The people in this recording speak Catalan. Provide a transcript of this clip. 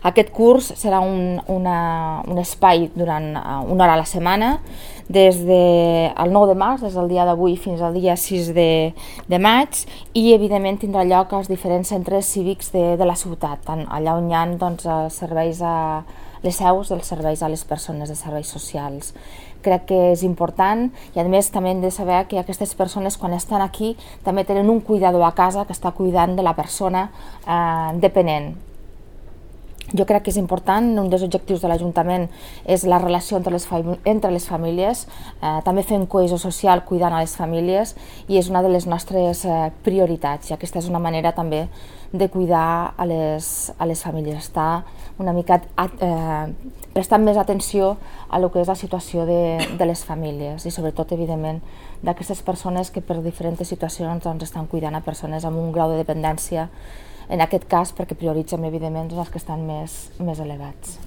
Aquest curs serà un espai durant una hora a la setmana, des del 9 de març, des del dia d'avui fins al dia 6 de maig, i evidentment tindrà lloc als diferents centres cívics de la ciutat, allà on hi ha serveis les seus dels serveis a les persones, de serveis socials. Crec que és important i a més també hem de saber que aquestes persones quan estan aquí també tenen un cuidador a casa que està cuidant de la persona dependent. Jo crec que és important, un dels objectius de l'Ajuntament és la relació entre les famílies, també fem cohesió social cuidant a les famílies i és una de les nostres prioritats i aquesta és una manera també de cuidar a les famílies, estar una mica prestant més atenció a lo que és la situació de les famílies i sobretot, evidentment, d'aquestes persones que per diferents situacions estan cuidant a persones amb un grau de dependència, en aquest cas perquè prioritzem, evidentment, els que estan més elevats.